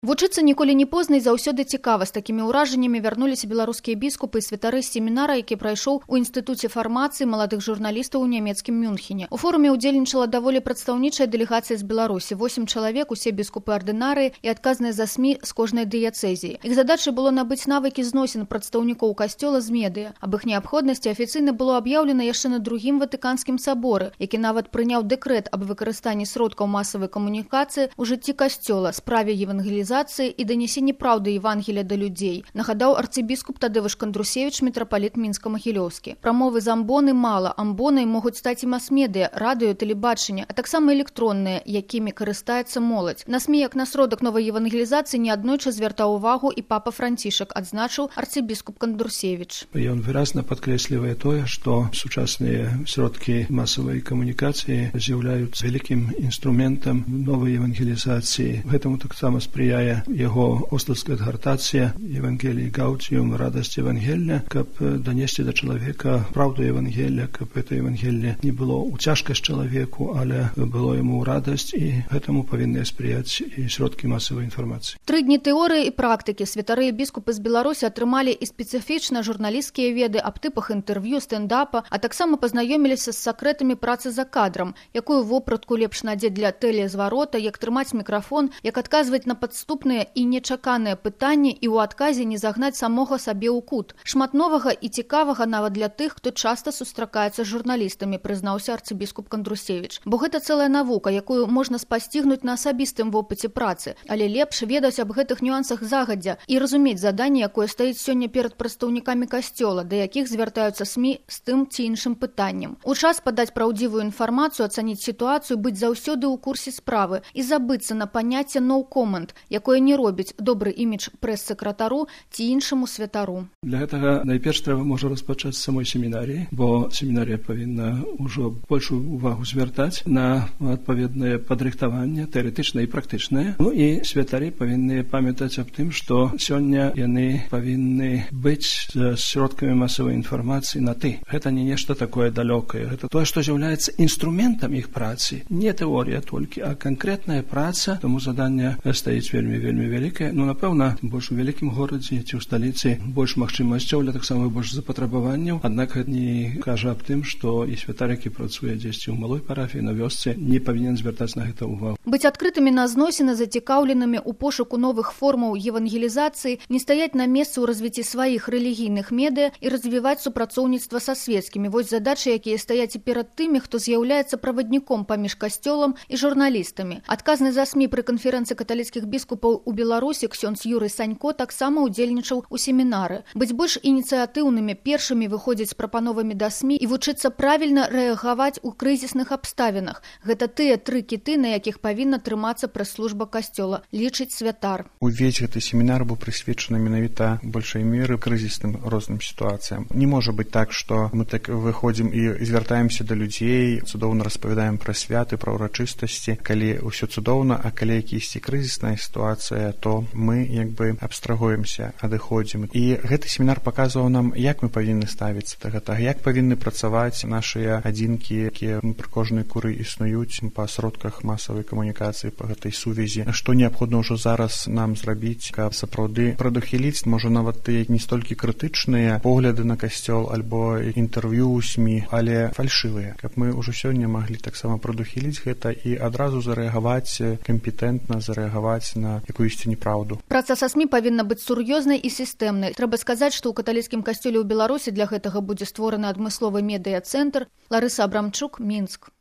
Вучыцца ніколі не позна і заўсёды цікава. З такімі ўражаннямі вярнуліся беларускія біскупы і святары з семінара, які прайшоў у Інстытуце фармацыі маладых журналістаў у нямецкім Мюнхене. У форуме ўдзельнічала даволі прадстаўнічая дэлегацыя з Беларусі. 8 чалавек, усе біскупы-ардынарыі і адказныя за СМІ з кожнай дыяцэзіі. Іх задачай было набыць навыкі зносін прадстаўнікоў касцёла з медыя. Аб іх неабходнасці афіцыйна было аб'яўлена яшчэ на другім Ватыканскім саборы, які нават прыняў дэкрэт аб выкарыстанні сродкаў масавай камунікацыі ў жыцці касцёла, справе евангелізацыі і данесенні праўды Евангелія да людзей, нагадаў арцыбіскуп Тадевыш Кандрусевіч, мітрапаліт Мінска-Магілёўскі. Прамовы з амбоны мала. Амбонай могуць стаць і мас-медыя, радыё, тэлебачанне, а таксама электронныя, якімі карыстаецца моладзь. На СМІ як на сродак новай евангелізацыі неаднойчы звяртаў увагу і папа Францішак, адзначыў арцыбіскуп Кандрусевіч. Ён выразна падкрэслівае тое, што сучасныя сродкі масавай камунікацыі з'яўляюцца вялікім інструментам новай евангелізацыі. Гэтаму таксама спрыяе яго остальская адгартацыя Евангелii Гаутиум, радасць Евангелия, каб данесці да чалавека праўду Евангелия, каб это Евангелие не было ў цяжкасць чалавеку, але было яму ў радасць, і гэтаму павінны спрыяць і сродкі масавай інфармацыі. 3 дні тэорыі і практыкі. Святары і біскупы з Беларусі атрымалі і спецыфічна журналісцкія веды аб тыпах інтэрв'ю, стендапа, а таксама пазнаёміліся з сакрэтамі працы за кадрам, якую вопратку лепш надзець для тэлезварота, як трымаць мікрафон, як адказваць на падступныя і нечаканыя пытанні і ў адказе не загнаць самога сабе ў кут. Шмат новага і цікавага нават для тых, хто часта сустракаецца з журналістамі, прызнаўся арцыбіскуп Кандрусевіч. Бо гэта цэлая навука, якую можна спасцігнуць на асабістым вопыце працы, але лепш ведаць аб гэтых нюансах загадзя і разумець заданне, якое стаіць сёння перад прадстаўнікамі касцёла, да якіх звяртаюцца СМІ з тым ці іншым пытаннем. У час падаць праўдзівую інфармацыю, ацаніць сітуацыю, быць заўсёды ў курсе справы і забыцца на паняцце «no comment», якое не робіць добры імідж прэс-сакратару ці іншаму святару. Для гэтага найперш трэба можа распачаць з самой семінаріі, бо семінарія павінна ўжо большую увагу звяртаць на адпаведнае падрыхтаванне, тэарэтычнае і практычнае. Ну і святары павінны памятаць аб тым, што сёння яны павінны быць з сродкамі масавай інфармацыі на «ты». Гэта не нешта такое далёкае. Гэта тое, што з'яўляецца інструментам іх працы. Не тэорія толькі, а канкрэтная праца. Таму заданне стаіць вельмі вялікае. Ну, напэўна, больш у вялікім горадзе ці ў сталіцы больш магчымасцяў, але таксама больш запатрабаванняў. Аднак гэта не кажа аб тым, што і святар, які працуе дзесьці ў малой парафіі, на вёсцы, не павінен звяртаць на гэта ўвагу. Быць адкрытымі на зносіны, зацікаўленымі ў пошуку новых формаў евангелізацыі, не стаяць на месцы ў развіцці сваіх рэлігійных медыя і развіваць супрацоўніцтва са свецкімі. Вось задачы, якія стаяць і перад тымі, хто з'яўляецца правадніком паміж касцёлам і журналістамі. Адказны за СМІ пры канферэнцыі каталіцкіх біскупаў у Беларусі ксёндз Юрый Санько таксама ўдзельнічаў у семінары. Быць больш ініцыятыўнымі, першымі выходзіць з прапановамі да СМІ і вучыцца правільна рэагаваць у крызісных абставінах. Гэта тыя 3 кіты, на якіх павінна трымацца прэс-служба касцёла, лічыць святар. Увесь гэты семінар быў прысвечаны менавіта большай меры крызісным розным сітуацыям. Не можа быць так, што мы так выходзім і звяртаемся да людзей, цудоўна распавядаем пра святы, пра ўрачыстасці, калі ўсё цудоўна, а калі якісьці крызісная сітуацыя, то мы як бы абстрагуемся, адыходзім. І гэты семінар паказваў нам, як мы павінны ставіцца да гэтага, як павінны працаваць нашыя адзінкі, якія пры кожнай куры існуюць па сродках масавай камунікацыі, па гэтай сувязі. Што неабходна ўжо зараз нам зрабіць, каб сапраўды прадухіліць, можа нават тыя не столькі крытычныя погляды на касцёл альбо інтэрв'ю ў СМІ, але фальшывыя, каб мы ўжо сёння маглі таксама прадухіліць гэта і адразу зарэагаваць кампетэнтна, зарэагаваць на якуюсьці неправду. Праца са СМІ павінна быць сур'ёзнай і сістэмнай. Трэба сказаць, што ў каталіцкім касцёле ў Беларусі для гэтага будзе створаны адмысловы медыа-цэнтр. Ларыса Абрамчук, Мінск.